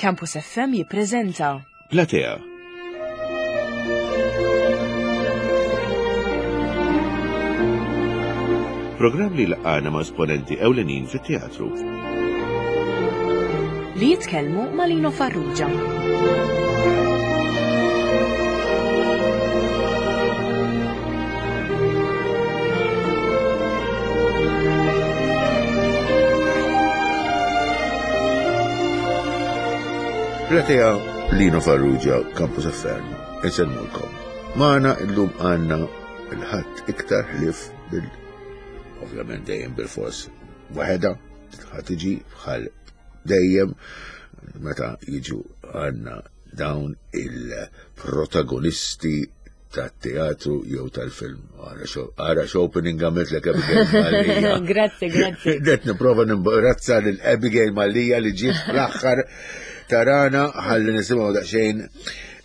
Campus FM jippreżenta Platea. Programm li laqana ma' esponenti ewlenin fit-teatru. Li jitkellmu ma' Lino Farrugia. Platea Lino Farrugia, Campus FM, insellmulkom. Magħna illum għandna il-ħadd iktar ħlif bil ovvjament dejjem bil-fors waħedha ħadd tiġi bħal dejjem meta jiġu għandna dawn il-protagonisti tat-teatru jew tal-film. Ara x'opening għamiltlek Abigail Mallia. Grazzi, grazzi. Det nipprova nimbarazza lil Abigail Mallia li ġiet fl-aħħar tarana ħalli nisimgħu daqsxejn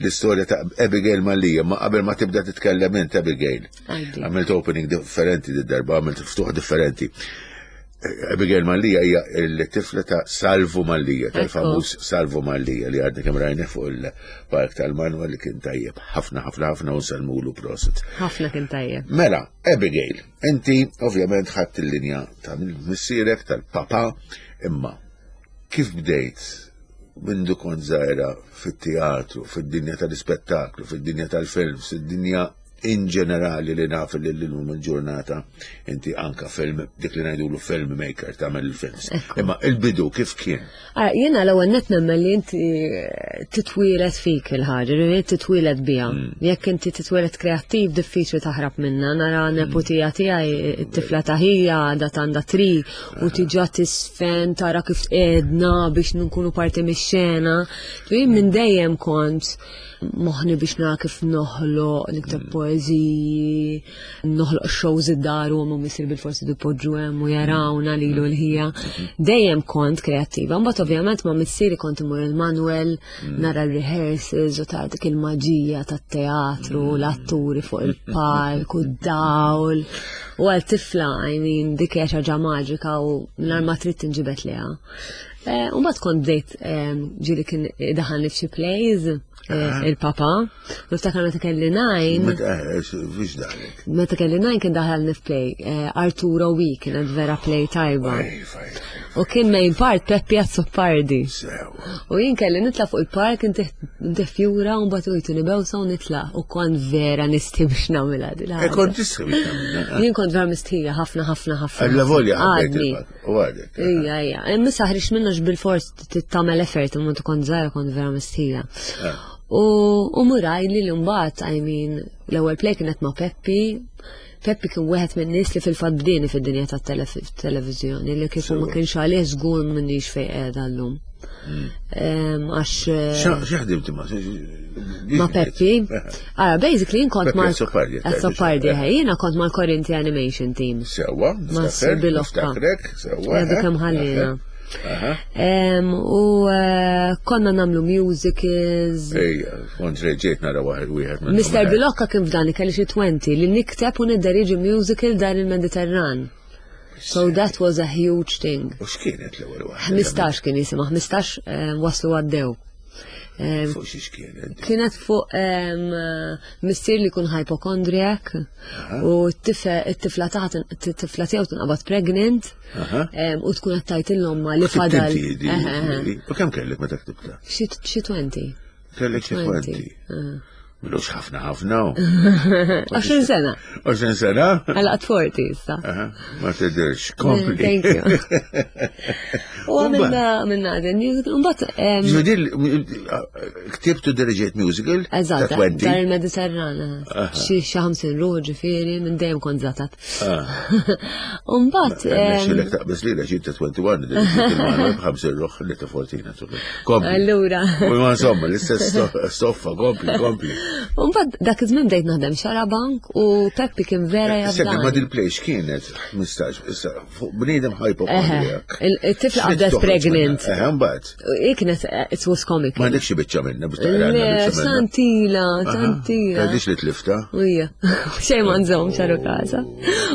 l-istorja ta' Abigail Mallia, ma qabel ma tibda titkellem int Abigail. Għamilt opening differenti d-darba, għamilt ftuħ differenti. Abigail Mallia hija l-tifla ta' Salvu Mallia, tal-famuż Salvu Mallia li għadna kemm rajna fuq il-Park tal-Manwa li kien tajjeb ħafna ħafna ħafna u nsellmulu prosit. Ħafna kien tajjeb. Mela, Abigail, inti ovvjament ħadd il-linja ta' missierek tal-papa, imma kif bdejt mindu kont żgħira fit-teatru, fid-dinja tal-ispettaklu, fid-dinja tal-films, fid-dinja in ġenerali li naf li l-lum il-ġurnata inti anka film, dik li ngħidulu film maker tagħmel il-films. Imma il-bidu kif kien? Ah, jiena l-ewwel net nemmen li inti eh, titwielet fik il-ħaġa, li titwielet biha. Mm. Jekk inti titwielet kreattiv diffiċli taħrab minna, nara mm. neputija tiegħi it-tifla ta' ħija għadha għandha tri u ah. tiġa tisfen tara kif tqedna biex nkunu parti mix-xena. Minn dejjem kont moħni biex nara kif noħloq, nikteb mm. poeżiji, noħloq shows id-dar u għamu misir bil-forsi dipoġġu hemm u jarawna lilu l-ħija. Mm. Dejjem kont kreattiva, mbagħad ovvjament ma' missieri kont imur il-Manuel, mm. nara l-rehearsals u ta' dik il-maġija tat-teatru, l-atturi fuq il-palk u d-dawl. U għal tifla, I mean, dik hija xi ħaġa maġika u nhar ma trid tinġibed liha. Eh, u mbagħad kont bdejt eh, ġieli kien daħalni f'xi plays eh, il-papa. Niftakar meta kelli najn. Meta kelli najn kien daħalni f'play. Arturo Wi kienet vera play tajba. U kien main part Peppi Azzopardi. U jien kelli nitla fuq il-park intih fjura u mbagħad ujtu nibewsa u nitla u kont vera nisti biex nagħmilha din. Kont tistħi biex nagħmilha. Jien kont vera mistħija ħafna ħafna ħafna. Alla volja ħabbejt U għadek. Ija, ija. Imma ħriġt minnu bil-fors tagħmel effort imma tkun żgħira kont vera mistħija. Ah. U muraj li l-mbagħad, I mean, l-ewwel play kienet ma' Peppi, Peppi kien wieħed minn nies li fil-fatt bdieni fid-dinja tat-televiżjoni li kieku ma kienx għalih żgur m'inhix fejn qiegħda llum. Hmm. Għax. Eh, X'ħdimt ma' Ma' Peppi. Ara, basically jien kont ma' Azzopardi, eh, jiena kont mal Corinthi Animation Team. Sewa, ma' Bilokka. Sewa. Għadu kemm ħallina. U eh, konna namlu musicals. Ejja, kont reġiet nara waħed wieħed. Mr. Bilokka kien f'dan kelli xi 20 li nikteb u nidderieġi musical dar il-Mediterran. So that was a huge thing. U x'kienet l-ewwel waħda? 15 kien jisimha, 15 eh, waslu għaddew. Fuq xiex kienet? Kienet fuq missier li jkun hypochondriac u t-tifla taħt t-tifla tiegħu tinqabad pregnant u tkun qed tgħid l-omma li fadal. U kemm kellek meta ktibta? Xi 20. Kellek xi 20. Milux ħafna ħafna. 20 sena. 20 sena? Għala għat 40 issa. Ma tidirx, kompli. Thank you. U għamilna għamilna għadin musical, mbagħad. Ġifieri ktibtu dirigate musical? Eżatt, dar il-Mediterrana. Xi xi 50 ruħ ġifieri minn dejjem kont żatat. Umbat. Xilek taqbis li l ta' 21, b'ħamsin ruħ li ta' 14. Kompli. Allura. U ma insomma, l-istess stoffa, kompli, kompli. Umbat, dak iż-żmien bdejt naħdem xarabank u Peppi kien vera jabda. Sekk ma dil-plejx kienet 15, issa fuq bniedem hypochondriac. Il-tifla qabdet pregnant. Eħe, mbagħad. I kienet, it was comic. Ma għandekx xi biċċa minna biex taqra. Santila, santila. Għandix li tlifta. Ija, xejn ma nżomm xaru kaza.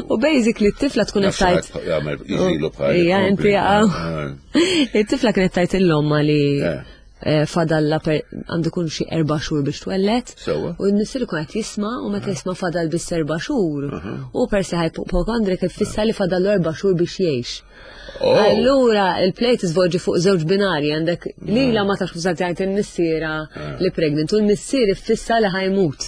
U basically t-tifla tkun qed tajt. Jagħmel jiġilu bħal. Ija, inti jaqgħu. It-tifla kienet tajt il-lomma li eh. eh, fadalla għandu kun xi erba' xhur biex twellet. U n-missier ikun qed jisma' u meta jisma' fadal biss erba' xhur. U persi ħajpokondrik ifissa li fadallu erba' xhur biex jgħix. Oh. Allura il-play tiżvolġi fuq żewġ binarji għandek lila ma tafx kif tgħid il-missiera ah. li pregnant u l-missier iffissa li ħajmut.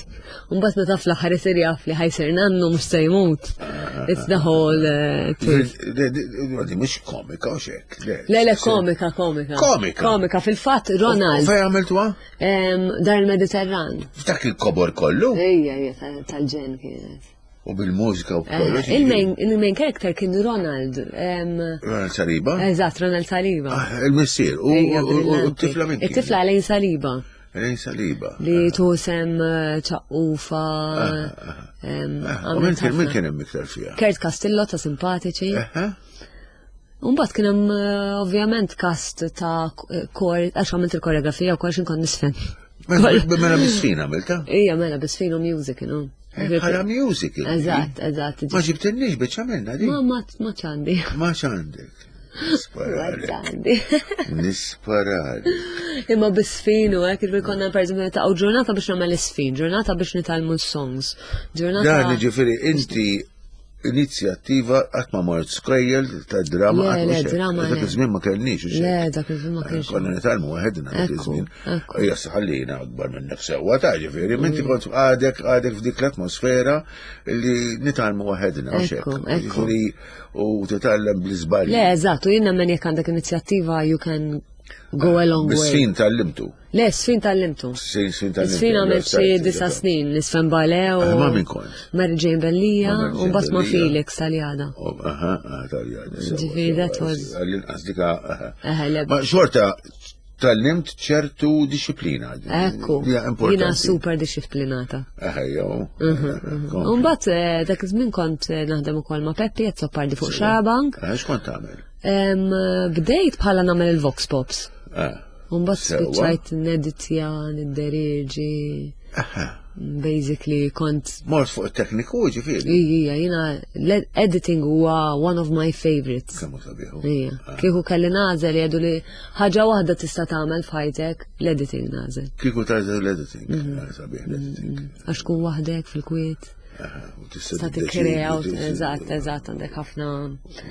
Mbagħad meta fl-aħħar isir jaf li ħajsir nannu mhux se jmut. Ah. It's the whole eh, twist. Di mhux komika u xek. Le le komika komika. Komika. Komika fil-fatt Ronald. Fejn għamiltuha? Dar il-Mediterran. F'dak il-kobor kollu? Ejja, ejja, tal-ġen kienet. U bil-mużika u kollox. Eh, il-main character kien Ronald. Ronald Saliba? Eżatt, Ronald Saliba. Ah, il-missier. U t-tifla minn It-tifla Elaine Saliba. Elaine Saliba. Li ah. tusem eh, ċaqqufa. Ah, u minn kien minn kien hemm iktar fiha? Kurt Castillo ta' simpatiċi. Umbagħad kien hemm eh, ovvjament cast ta' kor, għax għamilt il-koreografija u kollox inkun nisfen. Mela bisfin għamilta? Ija, mela bisfin u music, no? Eh, bħala music. Eżatt, eżatt. Ma ġibtinniex biex għamilna di. Ma ma ma ċandi. Ma ċandek. Nisparali. Nisparali. Imma bisfin u hekk il konna per eżempju ta' ġurnata biex nagħmel isfin, ġurnata biex nitalmu s-songs. Ġurnata. Dan ġifieri inti inizjattiva qatt ma mort skejjel ta' drama qatt le, drama dak iż-żmien ma kellniex u Le, dak iż-żmien ma kienx. Konna nitgħallmu waħedna dak iż-żmien. Hija ħallina akbar minnek sewwa ta' ġifieri, minti mm. kont għadek għadek f'dik l-atmosfera li nitgħallmu waħedna u xek. Ġifieri u titgħallem bl-iżbalji. Le, eżatt, u jien nemmen jekk għandek inizjattiva you can go a long way. Bis-sin tal-limtu. Le, sfin tal-limtu. Sfin tal-limtu. Sfin għamilt xi disa snin, nisfen bale u. Ah, ma minn kont. Mary Jane Bellija u mbagħad ma' Felix tal-jada. Oh, aha, tal-jada. Ġifieri that was. Għall-inqas dika. Ma xorta tal-limt ċertu disciplina. Ekku. Jina super disciplinata. Ejjo. Mhm, mhm. Mbagħad eh, dak iż-żmien kont eh, naħdem ukoll ma' Peppi qed soppardi fuq Xarabank. Eh, x'kont tagħmel? Bdejt bħala nagħmel il-Vox Pops. Mbagħad spiċċajt neditja, nidderieġi. Basically kont. Mort fuq it-tekniku ġifieri. Ija, jiena l-editing huwa one of my favorites. Kemm sabiħu. Ija. Ah. Kieku kelli nagħżel jgħidu li ħaġa waħda tista' tagħmel f'ħajtek, l-editing nagħżel. Kieku tagħżel l-editing, mhm. ah, sabiħ l-editing. Mhm. Għax tkun waħdek fil-kwiet. Tista' tikkrea, eżatt, eżatt, għandek ħafna.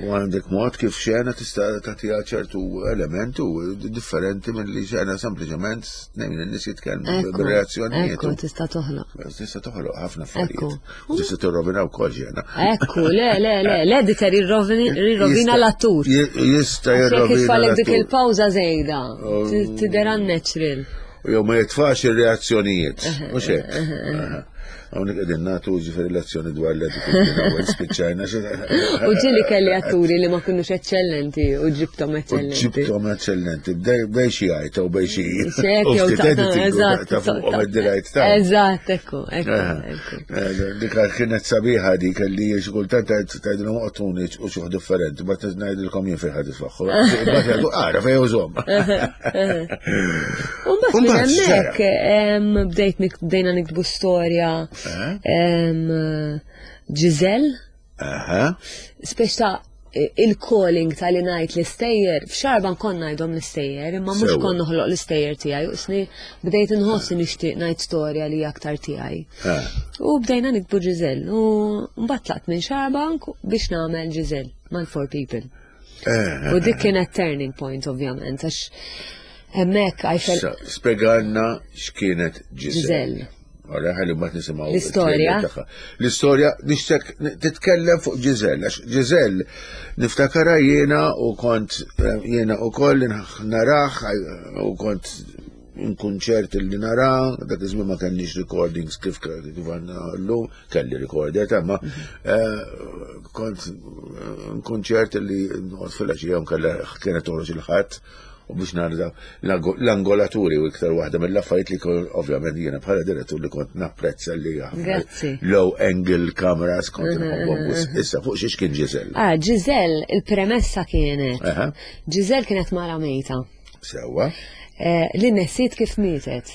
U għandek mod kif xena tista' tagħtiha ċertu elementu differenti minn li xena sempliċement tnejn in-nies jitkellmu bir-reazzjonijiet. Ekku, tista' toħloq. Tista' toħloq ħafna affarijiet. Tista' tirrovina wkoll xena. Ekku, le, le, le, l-editor jirrovina l-attur. Jista' jirrovina. Jekk dik il-pawża żejda, oh. tidher unnatural. Jew ma jitfax ir-reazzjonijiet. Mhux hekk. Hawnhekk qegħdin nagħtu ġifieri lezzjoni dwar l-attitudni spiċċajna. U ġieli kelli atturi li ma kinux eċċellenti u ġibtom eċċellenti. Ġibtom eċċellenti, bej xi għajta u bej xi. Eżatt. Ta' fuqhom id-dirajt ta' Eżatt, ekku, ekku. Eh, dik kienet sabiħa dik li xi kultant tgħidilhom oqtuni u xi differenti, ma ngħidilkom jien fejn ħad isfaħħu. Mbagħad jgħidu ara fejn użhom. Umbagħad minn hemmhekk bdejt bdejna niktbu storja eh? Giselle. Spex ta' il-calling ta' li ngħid l-istejjer, f'xarba nkun ngħidhom l-istejjer, imma mhux kont noħloq l-istejjer tiegħi, u sni bdejt inħoss li nixtieq ngħid storja li aktar tiegħi. Eh. U bdejna nikbu Giselle, u mbagħad tlaqt minn xarbank biex nagħmel Giselle mal-Four People. Eh, u dik kienet turning point ovvjament, għax hemmhekk I felt. Spjegalna x'kienet Giselle. Għara ħalli mbagħad nisimgħu l-istorja. L-istorja nixtek titkellem fuq Giselle, għax Giselle niftakara jiena u kont eh, jiena u koll naraħ u kont nkun ċert li nara, dak iż-żmien ma kellniex recordings kif kif għandna llum, kelli recorder ma eh, kont eh, nkun ċert li noqgħod fil-għaxija nkella kienet toħroġ il-ħadd u biex nara l-angolaturi u iktar waħda mill-affarijiet li ovvjament jiena bħala direttur li kont napprezza li low angle cameras kont mhm, nħobbhom mhm, mhm. Issa fuq xiex kien Giselle? Ah, Giselle, il-premessa kienet. Giselle kienet mara mejta. Sewwa. Eh, li nesiet kif mietet.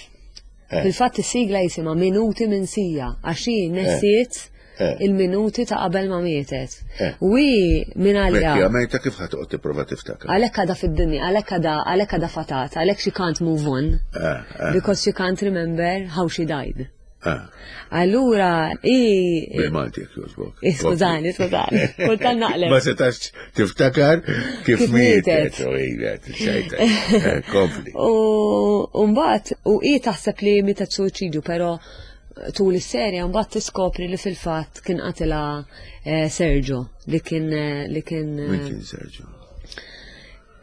Eh. Fil-fatt is-sigla jisimha Minuti minn sija, għax hi nesiet. Eh. il-minuti ta' qabel ma mietet. Eh. U hi minn għalija. Mekki, għamejta kif ħa toqgħod tipprova tiftakar. Għalhekk għadha fid-dinja, għalhekk għadha għalhekk għadha fatat, għalhekk she can't move on. Eh, Because she can't remember how she died. Eh. Allura, i. Bil-Malti jekk jogħġbok. Eh, skużani, skużani, kultant naqleb. Ma setax tiftakar kif Kif mietet. mietet. U ilet, ċajta. Eh, Kompli. U mbagħad u hi taħseb li mietet suwiċidju, però tul is-serja mbagħad tiskopri li fil-fatt kien qatilha eh, Sergio li kien eh, li kien eh, Min kien Sergio?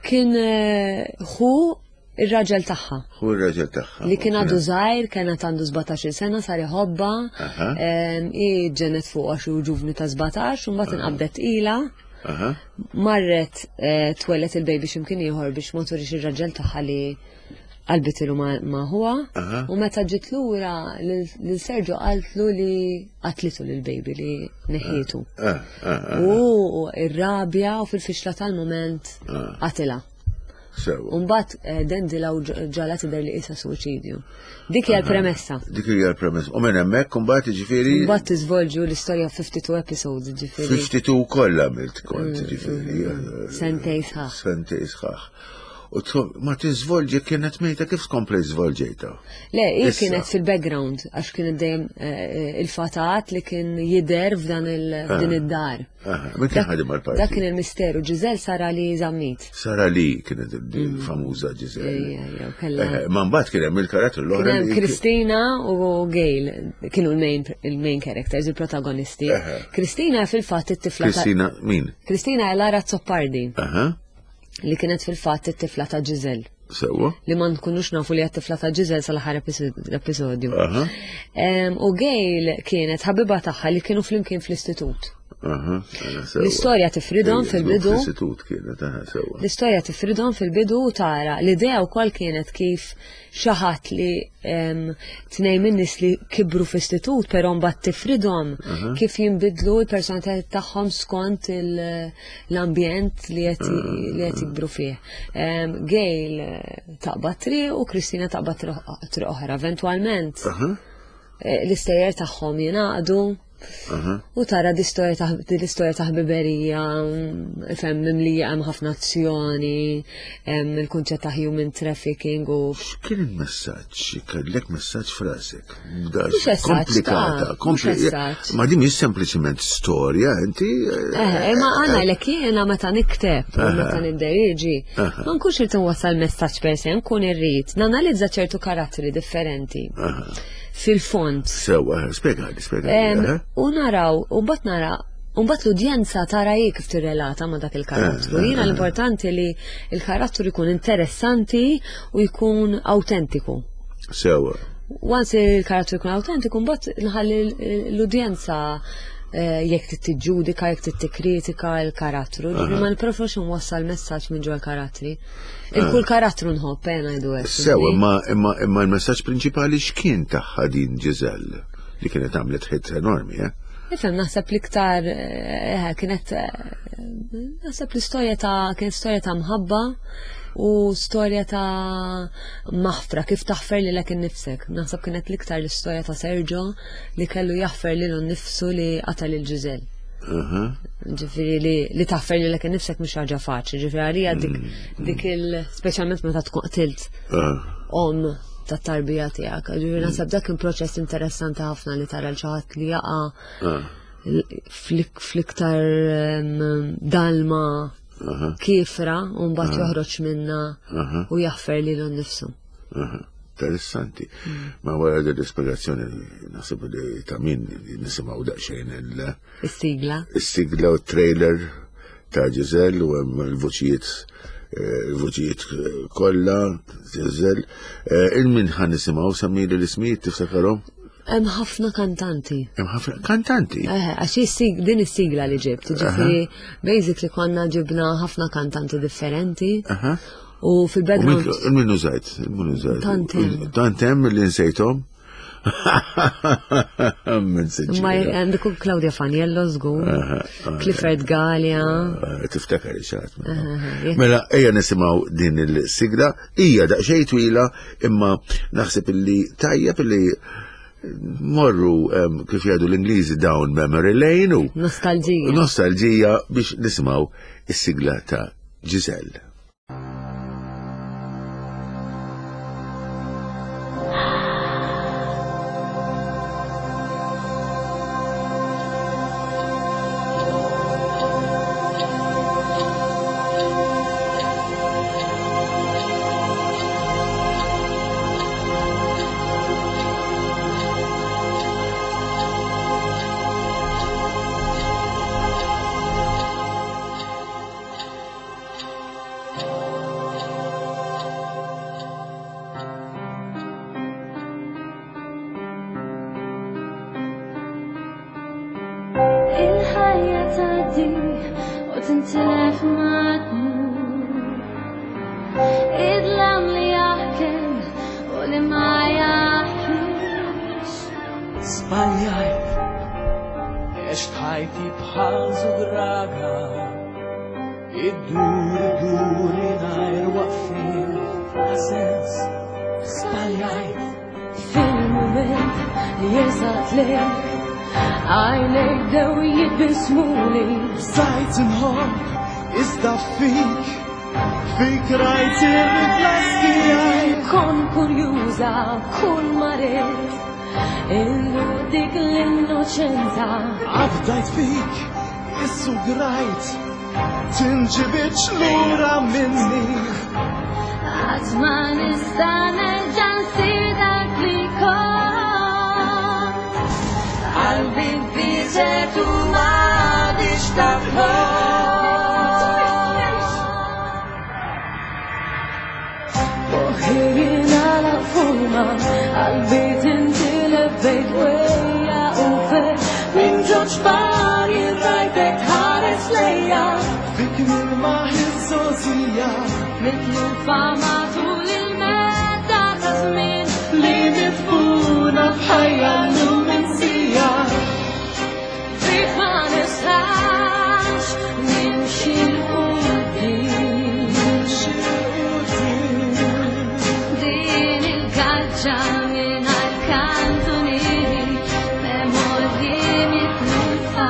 kien eh, ħu ir-raġel tagħha. Hu r-raġel tagħha. Li kien għadu żgħir, kienet għandu 17 sena, sar iħobba, Aha. em, hi ġenet fuq għax hu ġuvni ta' 17, u mbagħad inqabdet ila, Aha. marret eh, twellet il-baby x'imkien ieħor biex ma turix ir-raġel tagħha li qalbitilu ma' ma' ħuha. Aha. U meta ġiet lura lil lil Sergio qaltlu li qatlitu lil baby li neħietu. Ah, ah, ah. U ir-rabja u fil-fixla tal-moment Ah. qatilha. Sewa. Umbat dendila u ġala tidher li qisha suwiċidju. Dik hija l-premessa. Dik hija l-premessa. U minn hemmhekk imbagħad jiġifieri Mbagħad tiżvolġu l-istorja 52 episodes, ġifieri. 52 kollha għamilt kont jiġifieri. eh, Sentej sħaħ. Sentej sħaħ. U ma tiżvolġi kienet mejta kif tkompli żvolġejta? Le, hi Issa. kienet fil-background għax kienet dejjem eh, il-fatat li kien jidher f'dan il- f'din id-dar. Aha, Min kien ħadem għal-parti? Dak kien il-misteru, Ġizel sara li zammit. Sara Lee kienet il-famuża Giselle. Ejja, ejja, u kellha- Eh, Ma mbagħad kien hemm il-karattru Kien l-oħra. hemm li- Kristina u Gail kienu l-main il-main characters, il-protagonisti. Eħe. Kristina fil-fatt it-tifla ta' Kristina min? Kristina Lara Zoppardi Aha, li kienet fil-fatt it-tifla ta' Giselle sewwa. li ma nkunux nafu li tifla ta' Giselle sal-aħħar episodju. Aha, Em, U Gail kienet ħabiba tagħha li kienu flimkien fl-istitut. aha, aha, sewwa. L-istorja tifridhom Ejja, fil-bidu. Fl-istitut kienet, aha, sewwa. L-istorja tifridhom fil-bidu u tara. L-idea wkoll kienet kif xi ħadd li em, tnejn minn nies li kibru fl-istitut però mbagħad tifridhom kif jinbidlu l-personalitajiet tagħhom skont il- l-ambjent li qed li qed jikbru fih. Em, Gail eh, taqbad triq u Kristina taqbad triq triq oħra. Eventwalment Aha, eh, l-istejjer tagħhom jingħaqdu aha. U tara di storja ta' di l-istorja ta' ħbiberija, mm, fem mimlija hemm ħafna azzjoni, hemm il-kunċett ta' human trafficking u X'kien il-messaġġ? Kellek messaġġ frasek. Mhux messaġġ, Komplikata, ta' mhux kompli- messaġġ. Ma din mhix sempliċiment storja, inti. Eh, ma għana l jiena meta nikteb u meta nidderieġi, ma nkunx irrid nwassal messaġġ per se, nkun irrid nanalizza ċertu karatteri differenti fil-fond. Sewwa, spjegali, spjegali. Em, eh? U naraw, u mbagħad nara, u mbagħad l-udjenza tara hi kif tirrelata ma' dak il-karattru. Jiena l-importanti li il-karattru jkun interessanti u jkun autentiku. Sewwa. Once il-karattru jkun autentiku, mbagħad nħalli l-udjenza eh, jekk trid tiġġudika, jekk trid tikkritika l-karattru. Ġifieri ma nippreferux nwassal messaġġ minn ġol karattri. Il-kull karattru nħobb, eh, ngħidu hekk. Sewa, imma imma imma l-messaġġ prinċipali x'kien tagħha din Giselle li kienet għamlet hit enormi, eh? Nifhem naħseb l-iktar eh, kienet eh, naħseb l-istorja ta' kienet storja ta' mħabba u storja ta' maħfra kif taħfer lilek innifsek. Naħseb kienet l-iktar l-istorja ta' Sergio li kellu jaħfer lilu nnifsu li qatal il Giselle. Aha. Ġifieri li, li taħfer lilek innifsek mhux ħaġa faċli, ġifieri għalija dik dik il speċjalment meta tkun qtilt Ah. om tat tarbija tiegħek. Ġifieri naħseb dak kien proċess interessanti ħafna li tara l xi ħadd li jaqa' Ah. fl-iktar em, dalma Aha. kifra u mbagħad joħroġ minna Aha. u jaħfer lilu nnifsu. Aha. Interessanti. Ma wara din l-ispjegazzjoni naħseb li ta' min nisimgħu daqsxejn il- Is-sigla. is-sigla u trailer ta' Giselle u hemm il-vuċijiet eh, il-vuċijiet eh, kollha Giselle. Eh, Il-min ħan nisimgħu semmili l-ismijiet tiftakarhom? Hemm ħafna kantanti. Hemm ħafna kantanti. Eh, għax is-sig- din is-sigla li ġibt, ġifieri basically konna ġibna ħafna kantanti differenti Aha. u U fil-background min użajt? Il-min użajt? Tant hemm. Tant hemm li nsejthom? Min Ma sinċira. għandik Claudia Faniello żgur, Clifford Galea. Eh, Tiftakar xaħat. jekk- Mela, ejja nisimgħu din il-sigla, hija daqsxejn twila, imma naħseb illi tajjeb illi Morru kif jgħidu l-Ingliżi down memory lane u nostalġija. Nostalġija biex nisimgħu is-sigla ta' Giselle. Il-ħajja tgħaddi u tintilef ma tmur. Id-dlam li jaħkem u li ma jaħkimx. Żbaljajt, għext ħajti bħal żugraga, iddur iddur mingħajr waqfien bla sens. Żbaljajt. Fil-mument li jersaqt lejk, għajnejk bdew jitbissmuli. Bżajt inħobb, iżda fik, fik rajt ir-rifless tiegħi. Kont kurjuża kull ma ridt, illu dik l-innoċenza. Afdajt fik, issugrajt, tinġibidx lura minni. Qatt ma nista' nerġa' nsir dak li kont. Qalbi nfiset u m'għadix taf Moħħi jingħalaq f'huma, qalbi tintilef bejn dwejja u ferħ. Minn ġo ċpar jien rajtek tħares lejja. Fik nilmaħ iż-żgħożija. Mitlufa matul il-medda ta' żmien. Li midfuna f'ħajja llum minsija. Fik ma nistax nimxi 'l quddiem. Din il-gaġġa mingħajr kantunieri, memorji mitlufa.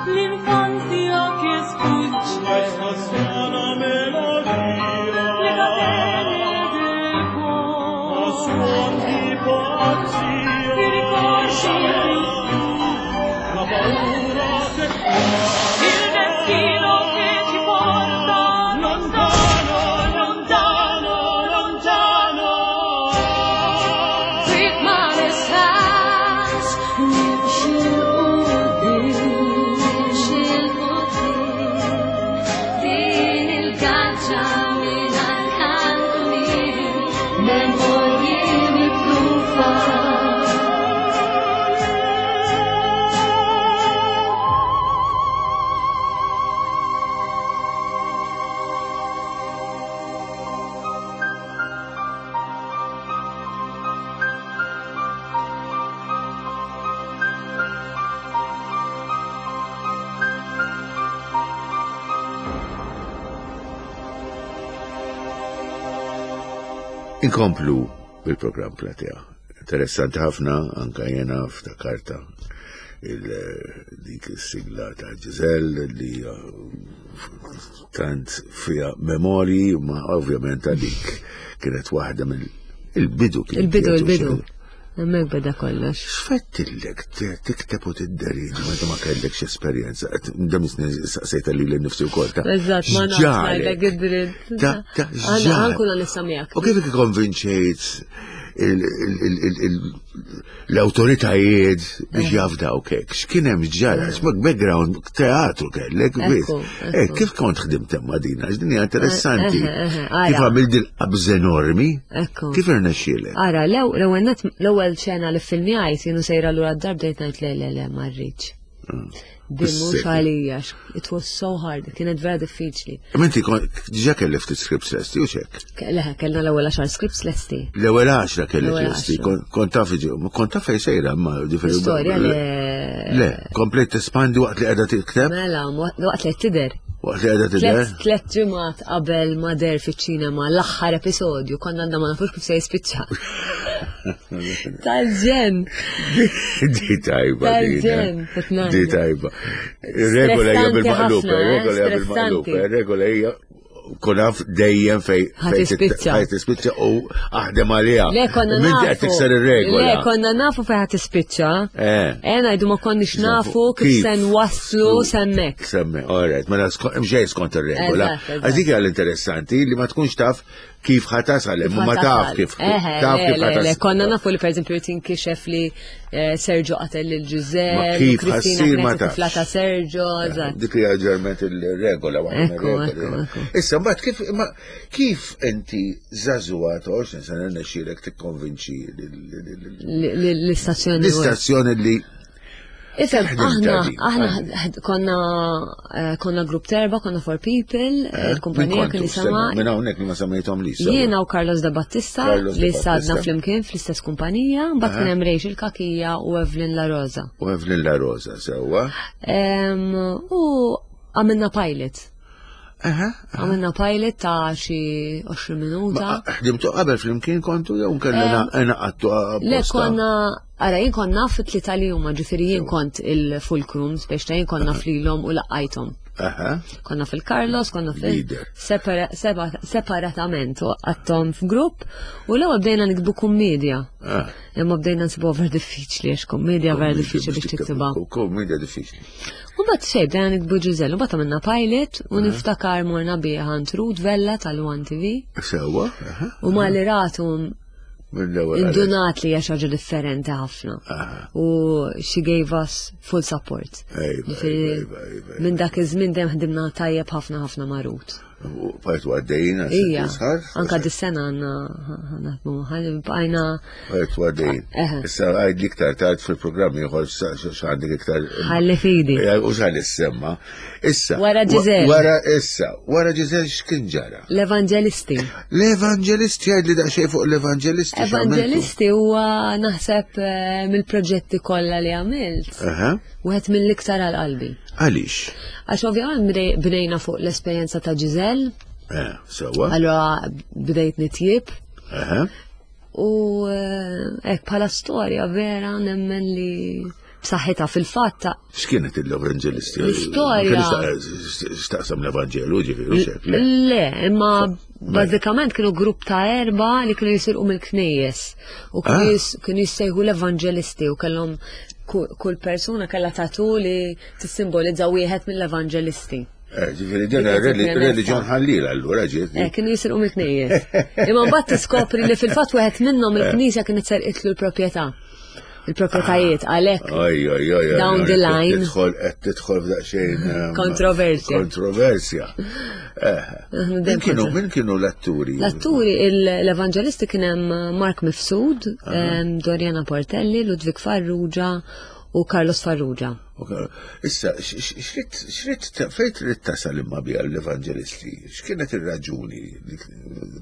L'infanzia che sfugge, le catene del cuore, i ricordi il destino che ci porta lontano, lontano, lontano. Fik ma nistax nimxi 'l quddiem, nimxi 'l quddiem. Din il-gaġġa mingħajr kantunieri, memorji mitlufa. Inkomplu bil-programm Platea. Interessanti ħafna, anka jena ftakarta dik is-sigla ta' Giselle li tant fija memorji, ma ovvjament għalik kienet waħda mill il-bidu kien. Il-bidu, kienet il-bidu. uxil. Hemmhekk beda kollox. X'fettillek tikteb u tidderieġi meta ma kellekx esperjenza? Dem saqsejta lili nnifsi wkoll ta' Eżatt, ma nafx x'ġarek? ngħidlek id-dritt. Ta' ta' Għana x'ġarek? ħankun onesta miegħek. U kif ikkonvinċejt l-awtoritajiet biex jafdaw kek? X'kien hemm ġara? X'mak background teatru kellek, biss. Ekku, Eh, ekku. kif kont ħdimt hemm ma' din? Għax din hija interessanti. Eh, eh, eh, ara. Kif għamilt din qabż enormi? Ekku. Kif irnexxielek? Ara, l-ewwel net- l-ewwel xena li filmjajt jienu sejra lura d-dar bdejt ngħid le le le ma rridx. Din mhux għalija, it was so hard, kienet vera diffiċli. Imma inti diġà kelli ftit scripts lesti u xek? Le, kellna l-ewwel 10 scripts lesti. L-ewwel 10 kelli lesti, kont taf kont taf fejn sejra ma ġifieri. Storja le. Le, komplet tespandi waqt li qiegħda tikteb? Mela, waqt li tidher. Waqt li qiegħda tidher? Tlet ġimgħat qabel ma der fiċ-ċinema l-aħħar episodju konna għandna ma nafux kif se jispiċċa. Tal-ġen. Di tajba. Tal-ġen. Di tajba. Regola hija bil-maqlub, regola hija bil-maqlub, regola hija kun dejjem fej ħatispiċċa. Ħatispiċċa u aħdem għaliha. Le konna nafu. Qed tikser ir-regola. Le konna nafu fej ħatispiċċa. Eh. eh ngħidu ma konniex nafu kif se nwasslu semmek. Semmek, all right, mela mxej skont ir-regola. Għax dik hija l-interessanti li ma tkunx taf kif ħatasal, imma ma taf kif taf kif ħatasal. Konna nafu li pereżempju tinkixef li eh, Sergio qatel lil Ġużè, Kristina ma taf. Tifla ta' Sergio, eh, eżatt. Dik hija ġerment il-regola waħda. Issa mbagħad kif kif inti żagħżugħa ta' 20 sena nexxielek tikkonvinċi l-istazzjoni l-istazzjoni li Ifem, aħna, aħna konna, eh, konna grupp terba, konna four people, eh, il-kumpanija kien jisama. Minn hawnhekk li ma semmejthom li. Jiena u Carlos da Battista li sadna flimkien fl-istess kumpanija, mbagħad kien hemm Rachel Kakija u Evelyn La Rosa. U Evelyn La Rosa sewwa. U għamilna pilot. Għamilna pilot ta' xi 20 minuta. Ħdimtu qabel flimkien kontu jew kellna għattu Le konna, ara jien kont naf it-tlieta li huma, ġifieri jien kont il-fulcrum, biex ta' jien kont naf lilhom u laqajthom. Konna fil-Carlos, konna fil separatament u għattom f'grupp u l-ewwel bdejna nikbu kummedja. Ah. Imma bdejna nsibu vera diffiċli għax kummedja vera diffiċli biex tiktibha. Kummedja diffiċli. U bat xej, bdejna nikbu Ġużel, u bat għamilna pilot u niftakar morna biha għand Ruth Vella tal-One TV. Sewa. U ma li ratu indunat li hija xi ħaġa differenti ħafna. U she gave us full support. Minn dak iż-żmien dejjem ħdimna tajjeb ħafna ħafna ma' Ruth. U bqajtu għaddejjin għal Ija, anka dis-sena għandna naħdmu bqajna. Bqajtu għaddejjin. Issa għajd iktar tard fil-programm ieħor x'għandek iktar. Ħalli fidi. U x'għalli semma. Issa. Wara Ġizel. Wara issa, wara Ġizel x'kien ġara? L-Evanġelisti. L-Evanġelisti għajd li daqsxejn fuq l-Evanġelisti. Evanġelisti huwa naħseb eh, mill-proġetti kollha li għamilt. Wieħed mill-iktar għal qalbi. Għaliex? Għax ovvjament bnejna fuq l-esperjenza ta' Giselle. Eh, sewa. Allora bdejt nitjib. U eh, hekk bħala storja vera nemmen li b'saħħitha fil-fatt. X'kienet l-Evanġelisti? L-istorja. X'taqsam l-Evanġelu ġifieri xek? Le, imma bażikament kienu grupp ta' erba li kienu jisirqu mill-knejjes u ah. kienu jissejħu l-Evanġelisti u kellhom kull persuna kellha tatu li tissimbolizza wieħed mill-evanġelisti. Eh, ġifieri din reliġjon ħallila allura ġiet. Eh, kienu jisirqu mill-knejjes. Imma mbagħad tiskopri li fil-fatt wieħed minnhom eh. il-knisja kienet serqitlu l-proprjetà. Il-proprjetajiet għalhekk. Oj, oj, oj, Down the line. Tidħol qed tidħol f'daqsxejn. Kontroversja. Kontroversja. Min kienu min kienu l-atturi? L-atturi l-evanġelisti kien hemm Mark Mifsud, Doriana Portelli, Ludwig Farrugia u Carlos Farrugia. Issa, xrid fejn trid tasal imma biha l-evanġelisti? X'kienet ir-raġuni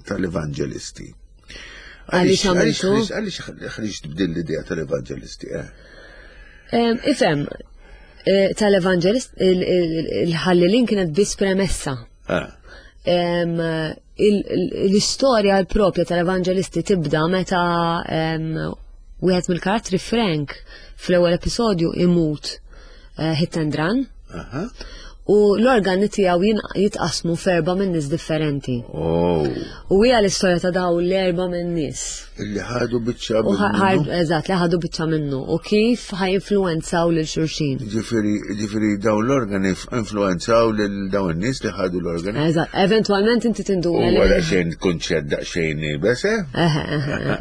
tal-evanġelisti? Għaliex għamiltu? Għaliex ħriġt b'din l-idea tal-evanġelisti? Eh? Ifhem, eh, tal-evanġelist il-ħallilin kienet biss premessa. Ah. L-istorja l-propja tal-evanġelisti tibda meta wieħed mill-karattri Frank fl-ewwel episodju imut eh, hit and run. U l-organi tiegħu jitqasmu f'erba' minn nies differenti. Oh. U hija l-istorja ta' daw l-erba' minn nies. Li ħadu biċċa minnu. Eżatt, li ħadu biċċa minnu. U kif ħajinfluwenzaw lil xulxin. Ġifieri, ġifieri dawn l-organi influenzaw lil dawn in-nies li ħadu l-organi. Eżatt, eventwalment inti tinduna. U wara xejn kunċett daqsxejn ibes, eh?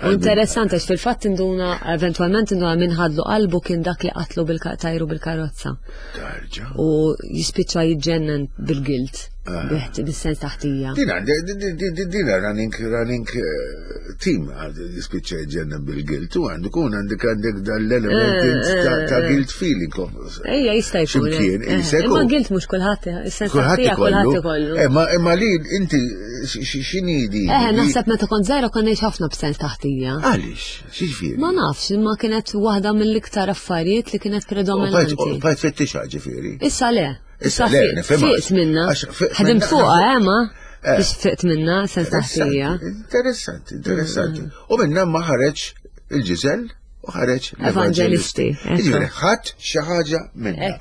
U interessanti għax fil-fatt tinduna eventwalment tinduna min ħadlu qalbu kien dak li qatlu bil-tajru bil-karozza. Tarġa. U jispiċċa jiġġennen bil-gilt. Bis-sens taħtija. Dina, dina running, running eh, team jispiċċa jġenna bil-guilt u għandu kun għandek għandek dal-element eh, eh, ta' guilt feeling. Ejja, jista' jkun. Ximkien, Imma guilt mhux kulħadd, is-sens taħtija kulħadd ikollu. Imma li inti x'inhi di? Eh, naħseb meta kont żgħira kont ngħix ħafna b'sens taħtija. Għaliex? X'jiġifieri? Ma nafx, imma kienet waħda mill-iktar affarijiet li kienet predominanti. Bajt fettixa ġifieri. Issa le. Issa le, nifhimha. Fiqt minna. Ħedimt fuqha, eh, ma. Eh. Biex fiqt minna, sens taħtija. Interessanti, interessanti. Mm. U minna ma ħareġ il-ġiżel u ħareġ l-evangelisti. Ġifieri ħadd xi ħaġa minna.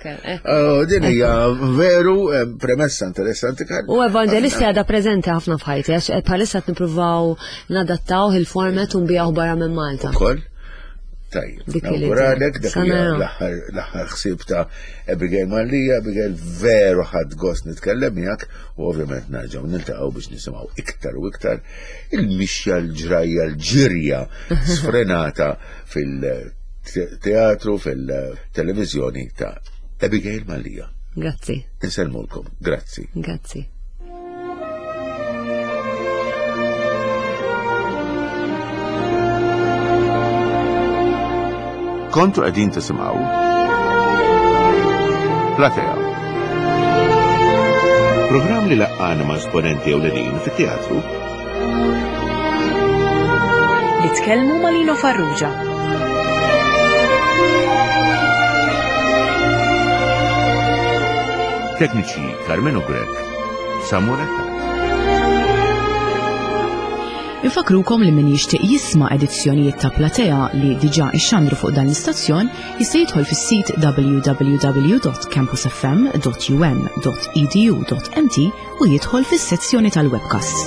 Oh, din hija veru eh, premessa interessanti kan. U evangelisti għadha preżenti ħafna f'ħajti għax eh, bħalissa qed nippruvaw nadattaw il-format u nbijaw barra minn Malta. Ukoll. Tajjeb, nawguralek dak l-aħħar ħsieb ta' Abigail Mallia, Abigail veru ħadd gost nitkellem miegħek u ovvjament nerġgħu niltaqgħu biex nisimgħu iktar u iktar il-mixja l-ġrajja l-ġirja sfrenata fil-teatru fil-televiżjoni ta' Abigail Mallia. Grazzi. Insellmulkom, grazzi. Grazzi. Kontu qegħdin tisimgħu Platea. Programm li laqqana ma' esponenti ewlenin fit-teatru. Nitkellmu ma' Lino Farrugia. Tekniċi Carmenu Grech, Samuel Attard. Infakrukom li min jixtieq jisma' edizzjonijiet ta' Platea li diġà ixxandru fuq dan l-istazzjon jista' jidħol fis-sit www.campusfm.um.edu.mt u jidħol fis-sezzjoni tal-webcasts.